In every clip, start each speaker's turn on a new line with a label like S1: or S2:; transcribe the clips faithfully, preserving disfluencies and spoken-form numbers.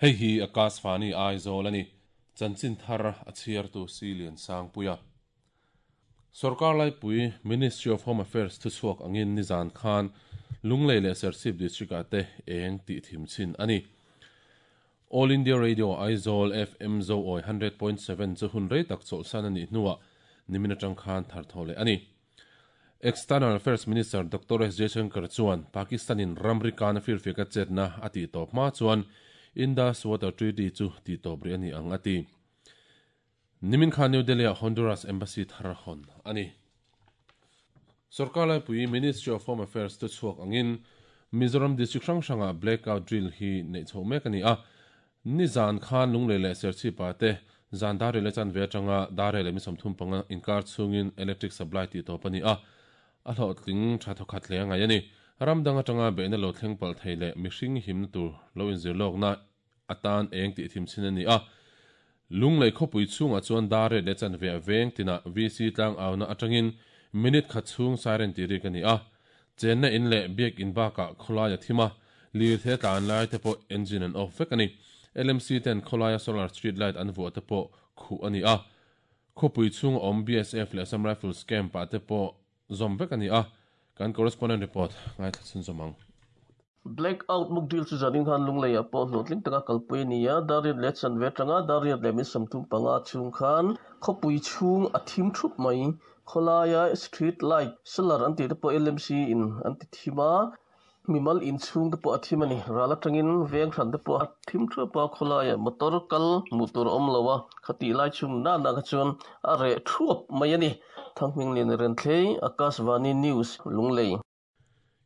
S1: Hei hi Akashvani Aizawl ani. Chanchin thar a chhiartu Silian Sangpuia. Sarkar Laipui Ministry of Home Affairs thu chhuak angin nizan khan Lunglei leh Serchhip District ah te eng tih thim chin ani. All India Radio Aizawl F M Zo Awi one hundred point seven chu hun rei tak chawlhsan anih hnuah nimin atang khan thar thaw leh ani. External Affairs Minister Doctor S Jaishankar chuan Pakistan-in ramri kana firfiaka chetna a tih tawp hma chuan Indus Water Treaty chu tih tawp rih a ni ang a ti. Nimin khan New Delhi-ah Honduras Embassy thar hawn a ni. Sorkar Laipui Ministry of Home Affairs te chhuak angin Mizoram District hrang hrangah blackout drill hi neih chhoh mek a ni a. Nizan khan Lunglei leh Serchhip-ah te zan dar rel chan ve atanga dar rel leh mi sawmthum panga inkar chhungin electric supply tih tawp a ni a. A hlawhtling tha thawkhat hle a ngai a ni. Ram dang atanga beihna lo thleng palh thei leh mihring himna tur lo inzir lawkna atan eng tih thim chin a ni a. Lunglei khawpui chhungah chuan dar rel leh chan ve a veng tinah V C tlang auna atangin minute khat chhung siren tih rik a ni a. Chenna in leh biak in bakah khawlai a thim a, lir the tlan lai te pawh engine an off vek a ni. L M C ten khawlaia solar street light an vuah te pawh khuh a ni a. Khawpui chhung awm B S F leh Assam Rifles camp ah te pawh zawm vek a ni a. Kan correspondent report ngaithla chhun zawm ang.
S2: Blackout mock drill chu zanin khan Lunglei ah pawh hlawhtling taka kalpui a ni a. Dar riat leh chan ve atanga dar riat leh min sawmthum panga chhung khan khawpui chhung a thim thup mai. Khawlaia street light solar an tih te pawh L M C in an ti thim a. Mimal in chhung te pawh a thim a ni. Ral atangin veng hran te pawh a thim thup a. Khawlaia motor kal hmuh tur a awm lo a. Khati lai chhung na na kha chuan a reh thuap mai a ni. Thangming Lian Renthlei, Akashvani News, Lunglei.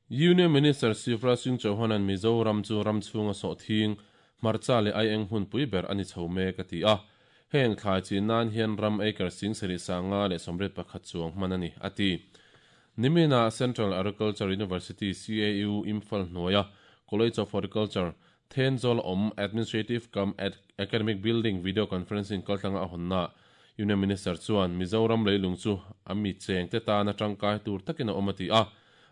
S1: Union Minister Shivraj Singh Chauhan an Mizoram chu ram chhunga sawh thing hmarcha leh ai eng hun pui ber ani chho mek a ti a. Heng thlai chin nan hian ram acre sing sarih sanga leh sawmriat pakhat chuang hman ani a ti. Nimina Central Agriculture University C A U Imphal hnuaia College of Horticulture Thenzawl awm Administrative cum Academic Building video conferencing kaltlanga a hawnna Union Minister chuan Mizoram leilung chu ami cheng te tana tangkai tur takin a awm a ti a.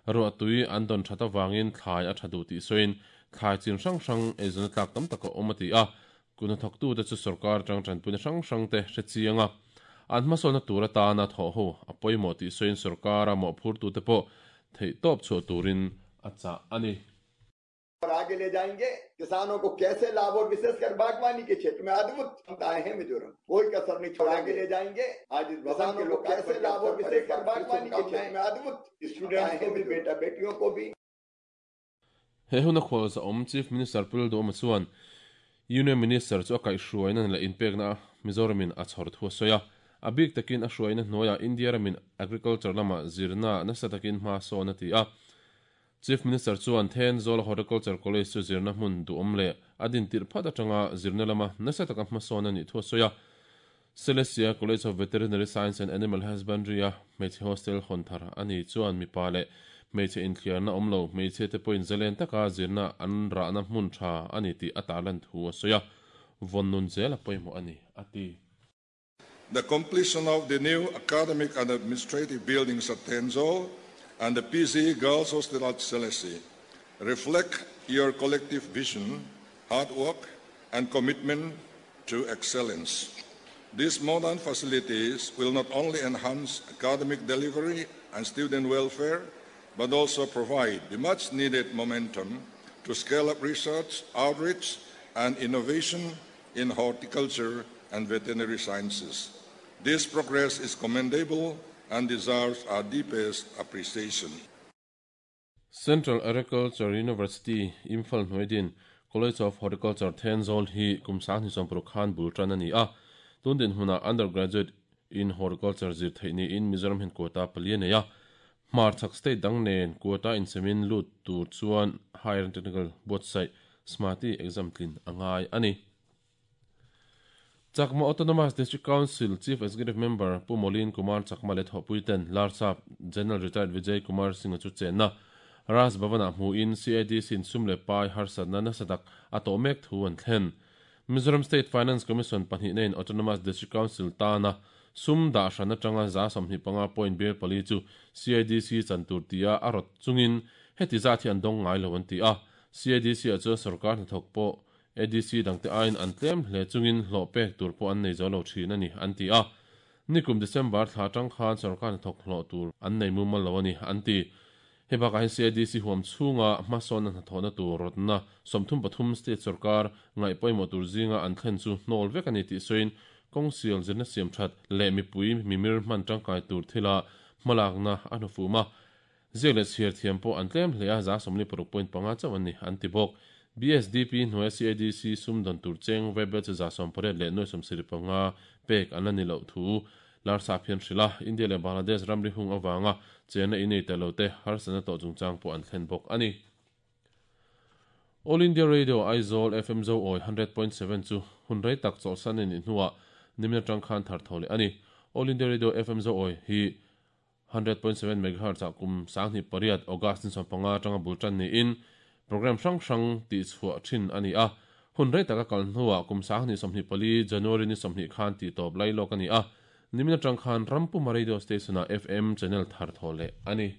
S1: Ruah tui an don thata wangin thlai a thadu ti soin thlai chin hrang hrang eizawna tlak tam taka awm a ti a. Kuna thawktu te chu sarkar tang tanpuina hrang hrang te hre chianga. An hmasawlna tur atana thaw ho a pawimawh tih sawiin sarkar a mawhphur tu te pawh theih tawp chhuah turin a chah ani.
S3: और आगे ले जाएंगे किसानों को कैसे लाभ और विशेषकर बागवानी के क्षेत्र में अद्भुत क्षमताएं हैं मिजोरम, कोई कसर नहीं छोड़ेंगे। आगे ले जाएंगे आज इस भवन के लोग कैसे लाभ और विशेषकर बागवानी के क्षेत्र में अद्भुत स्टूडेंट्स को भी बेटा बेटियों को भी।
S1: He huna khawal za awm Chief Minister Pul Doma chuan Union Minister chu a kaihhruaina leh inpekna Mizoramin a chhawr thu a sawi a. A bik takin a hruaina hnuaia India ramin agriculture lama zirna nasa takin hma sawn a ti a. Chief Minister chuan Thenzawl Horticulture College chu zirna hmun duhawm leh a din tirh phat atanga zirna lama nasa taka hma sawn a nih thu a sawi a. Celestia College of Veterinary Science and Animal Husbandry a hmeichhe hostel hawn thar ani chuan mipa leh hmeichhe inthliarna awm lo hmeichhe te pawhin zalen taka zirna an rahna hmun tha ani tih a tarlan thu a sawi a. Vawn nun zel a pawimawh ani a ti.
S4: The completion of the new academic and administrative buildings at Thenzawl and the P Z Girls Hostel at Selesih reflect your collective vision, hard work, and commitment to excellence. These modern facilities will not only enhance academic delivery and student welfare, but also provide the much-needed momentum to scale up research, outreach, and innovation in horticulture and veterinary sciences. This progress is commendable and deserves our deepest appreciation.
S1: Central Agriculture University, Imphal Hnuaidin, College of Horticulture Thenzawl hi kumsang ni sawmpuruk khan bul tan ani a. Tundin huna undergraduate in horticulture zir theih ni in Mizoram hin quota pali nei a. Hmarchhak state dang nen quota in semin lut tur chuan higher and technical buatsaih SMATI exam tlin angai ani. Chakma Autonomous District Council Chief Executive Member Pu Molin Kumar Chakma le thawhpuiten Larsap General Retired Vijay Kumar Singh chu chenna Raj Bhavana hmu in C I D sin sum le pai harsatna nasatak a tawh mek thu an thlen. Mizoram State Finance Commission pahnih nein Autonomous District Council tana sum dah hran atanga za sawmhnih panga point bil pali chu C I D C chantur tia a rawt chungin heti zat hi an dawng ngai lo an ti a. C I D C a chuan sarkar hnathawk pawh A D C dangte aiin an tlem hle chungin hlawh pek tur pawh an nei zo lo thin a ni an ti a. Nikum December thla atang khan sorkar hnathawk hlawh tur an nei mumal lo a ni an ti. Hei bakah hian C I D C huam chhunga hmasawnna hnathawhna tur rawtna sawmthum pathum state sorkar ngaih pawimawh tur zinga an thlen chu hnawl vek a ni tih sawiin kawngsial zirna siam that leh mipui mimir hman tangkai tur thila hmalakna a hnufum a. Ziak leh chhiar thiam pawh an tlem hle a, za sawmli paruk point panga chauh an ni an ti bawk. B S D P hnuaia C I D C sumdawn tur cheng vaibel chu za sawm pariat leh nuai sawmsarih panga pek an la ni loh thu Larsa phian hrilh a, India leh Bangladesh ramri hung avanga chenna innei ta lo te harsatna tawh chungchang pawh an thlen bawk a ni. All India Radio Aizawl F M Zo Awi one hundred point seven chu hun rei tak chawlhsan a nih hnuah nimin atang khan thar tho leh a ni. All India Radio F M Zo Awi hi one hundred point seven megahertz ah kum sanghnih pariat August ni sawm panga atanga bul tan niin program hrang hrang tih chhuah thin a ni a. Hun rei taka kal hnuah kum sanghnih sawmhnih pali January ni sawmhnih khan tih tawp lai lawk a ni a. Nimin atang khan Rampuma Radio Station ah F M channel thar tho leh a ni.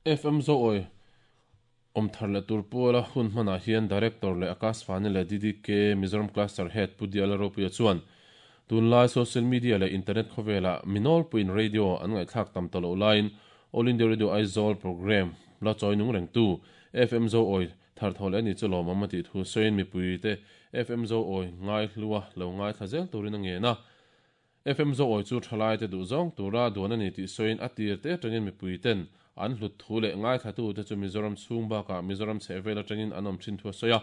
S1: F M Zo Awi om thar leh tur pawla hun hmanah hian Director leh Akashvani leh D D K Mizoram Cluster Head Pu Diala Ropuia chuan tunlai social media leh internet khawvelah minol puin radio an ngaihthlak tam ta lo laiin All India Radio Aizawl program la chawi nung reng tu F M Zo Awi thar tho leh ani chu lawmawm a tih thu sawiin mipui te F M Zo Awi ngai hlua lo ngai thla zel turin a ngen a. F M Zo Awi chu thalai te duh zawng tura duan ani tih sawiin a tir te atangin mipui ten an hlut thu leh ngai thlatu te chu Mizoram chhung bakah Mizoram chhehvel atangin an awm thin thu a sawi a.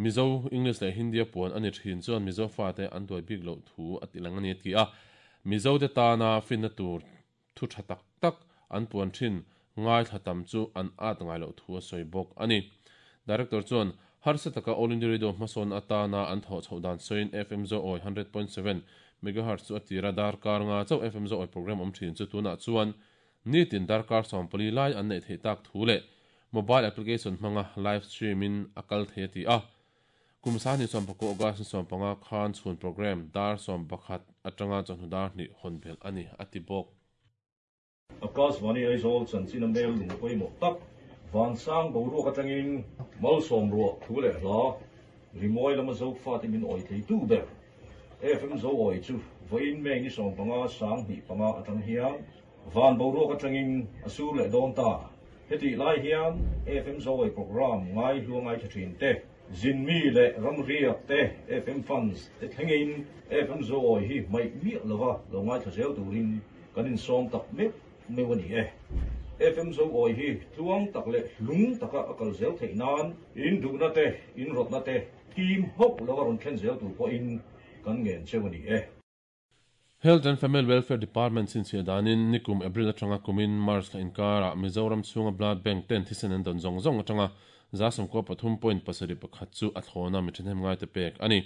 S1: Mizo English leh Hindi a puan ani thin chuan Mizo fa te an duai bik loh thu a ti lang ani a ti a. Mizo te tana finna tur thu tha tak tak an puan thin ngai thla tam chu an at ngai loh thu a sawi bawk ani. Director chuan harsa taka All India Radio hmasawn atana an thaw chhoh dan sawiin F M Zo Awi one hundred point seven megahertz chu a tira darkar nga chauh F M Zo Awi program awm thin chu tunah chuan nitin darkar sawmpali lai an nei thei tak thu leh mobile application hmanga live stream in a kal thei a ti a. Kum sahni sawmpakua August ni sawmpanga khan chhun program dar sawmpakhat atanga chawhnu dar hnih hawn bel ani a ti bawk.
S5: Akashvani Aizawl chanchin a mail lung pawimawh tak vansang boruak atangin malsawm ruah thu leh hla rimawi lama zo fa te min awi thei tu ber F M Zo Awi chu vawiin mei ni sawmpanga sanghnih panga atang hian van boruak atangin a sur leh dawn ta. Heti lai hian F M Zo Awi program ngai hluangai tha thin te zinmi leh ramriak te F M funds te thlengin F M Zo Awi hi mai miah lova lo ngai thla zel turin kan insawm tak mek meu ani e. F M Zo Awi hi tluang tak leh hlung taka a kal zel theih nan in duhna te in rawtna te team hawk lova rawn thlen zel tur pawhin kan ngen cheu ani e.
S1: Health and Family Welfare Department sin chhia danin nikum April atanga kumin March la inkara Mizoram chhunga blood bank ten thisen an dawn zawng zawng atanga za sawmkua pathum point pasarih pakhat chu a thlawna mi thenem ngai te pek ani.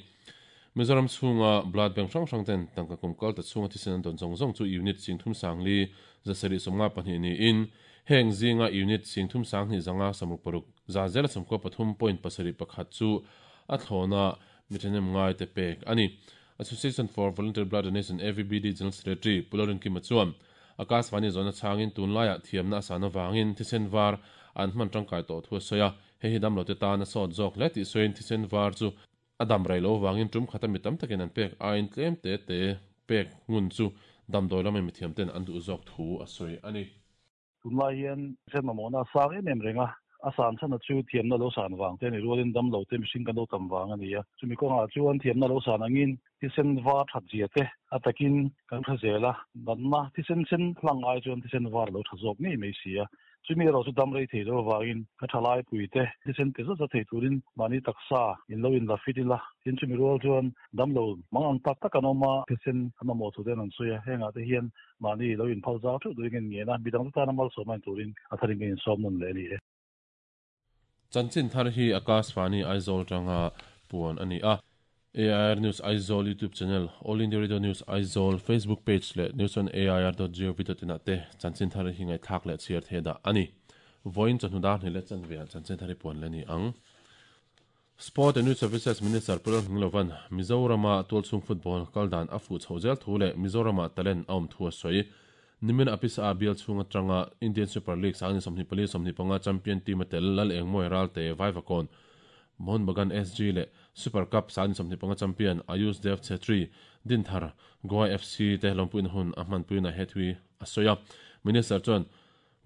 S1: Mizoram chhunga blood bank hrang hrang ten tangka kum kal ta chhunga thisen an dawn zawng zawng chu unit singthum sangli zasarih sawmnga pahnih niin heng zinga unit singthum sanghnih zanga samruk paruk za zela sawmkua pathum point pasarih pakhat chu a thlawna mi thenem ngai te pek ani. Association for Voluntary Blood Donation A V B D General Secretary Pulorin Kima chuan Akashvani zona changin tunlaiah thiamna asana wangin thisen var an hman tangkai tawh thu a sawi a. Hei hi damlo te tan a sawt zawk hle tih sawiin thisen var chu a dam rei lo wangin tum khata mi tam takin an pek aiin tlem te te pek ngun chu damdawi lama mi thiam ten an duh zawk thu a sawi ani.
S6: Tunlai hian thisen mamawhna a sang em em renga a san chana chu thiamna lo san wang te ni rualin damlo te mihring kan lo tam wang ani a. Chumi kawngah chuan thiamna lo san angin thisen var that zia te a takin kan tha zela natna thisen sen hlang ai chuan thisen var lo tha zawk ngei mai si a. Chumi erawh chu dam rei thei lo wangin ka thalai pui te thisen te zat zat thei turin mahni taksa in lo in la fit ila. Tin chumi rual chuan damlo mang ang tak tak an awm a thisen an mamawh thu ten an sawi a. Hengah te hian mahni lo in phal zau theuh turin ngen a midang te tan a malsawm ain turin a tharin kan insawm nawn leh ani e.
S1: Chanchin thar hi Akashvani Aizawl tanga puan ani a. A I R News Aizawl YouTube channel, All India Radio News Aizawl Facebook page le news on A I R dot gov dot in ate chanchin thar hi ngai thak le chiar the da ani. Voin chanu dar ni le chan ve chanchin thari pon le ni ang. Sport and Youth Services Minister Pulal Hnglovan Mizorama Tualchhung Football kaldan afu chhozel thu le Mizorama talent aum thu soi nimin apis a bial chhunga tanga Indian Super League sang somni pali somni panga champion team tel lal engmoi ralte Vaivakon Mohun Bagan S G le Super Cup sang somni panga champion Ayush Dev Chetri Dinthar Goa F C te lompuin hun ahman puina hethui asoya Minister chon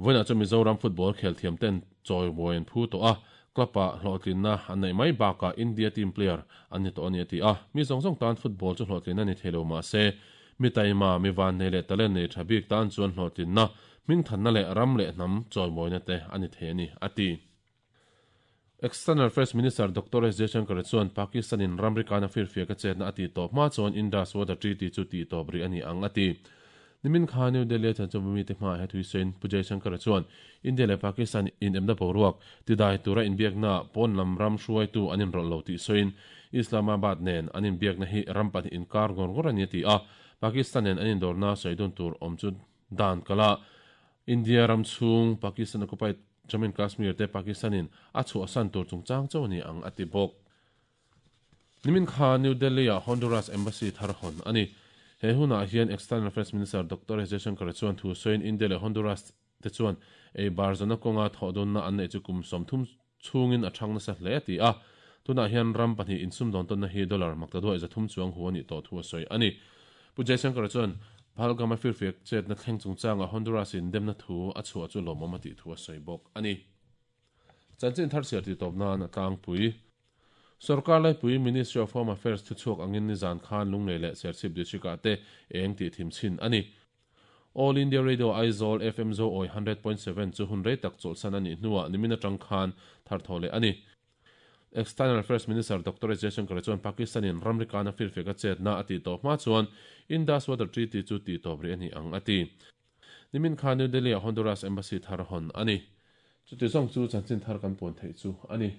S1: voina chu Mizoram football khel thiam ten choi boen phu to a klapa hlotlin anei mai baka India team player ani to ani ti a mi zong zong tan football chu hlotlin ani thelo ma se mi taima mi van nei le talent nei thabik tan chuan hlotlin na ming than na le ram le nam choi moina te ani the ani ati External Affairs Minister Doctor S Jaishankar chuan Pakistan in ramri kana firfia ka chetna ati top ma chuan Indus Water Treaty chu ti top ri ani ang ati nimin kha New Delhi chan chu mi te ma he thui sen Pu Jaishankar chuan India le Pakistan in emna boruak ti dai tura in biakna pon lam ram hruai tu anin rol lo ti soin Islamabad nen anin biakna hi ram pahnih inkar ngor ngor ani ti a Pakistan nen anin dorna soidun tur om chu dan kala India ram chung Pakistan occupied Jammu and Kashmir te Pakistanin a chu asan tur chungchang chawni ang ati bok nimin kha New Delhi a Honduras Embassy tharhon ani he huna hian External Affairs Minister Doctor S Jaishankar chuan thu soin India le Honduras te chuan ei barzana konga thodon na an nei chu kum somthum chungin a thangna sa hle ti a tuna hian ram pahnih insum don ton na hi dollar makta do zathum chuang huani to thu soi ani Pu Jaishankar chuan Palgama firfiak chet na thleng chungchang a Honduras in demna thu a chhuah chu lawmawm ti thu a sawi bawk ani chanchin thar siar ti tawpna na tlangpui Sarkar laipui Ministry of Home Affairs thu chhuak angin nizan khan lunglei leh Serchhip district ah te eng tih thim chin ani All India Radio Aizawl F M Zo oi one hundred point seven chu hun rei tak chawlhsan ani hnuah nimin atang khan thar thaw leh ani External Affairs Minister Doctor S Jaishankar chuan Pakistan in ramri kana firfeka chetna ati tawp hma chuan Indus Water Treaty chu ti tawp ri ani ang ati nimin khan New Delhi a Honduras Embassy thar hon ani chuti zawng chu chanchin thar kan puan theih chu ani.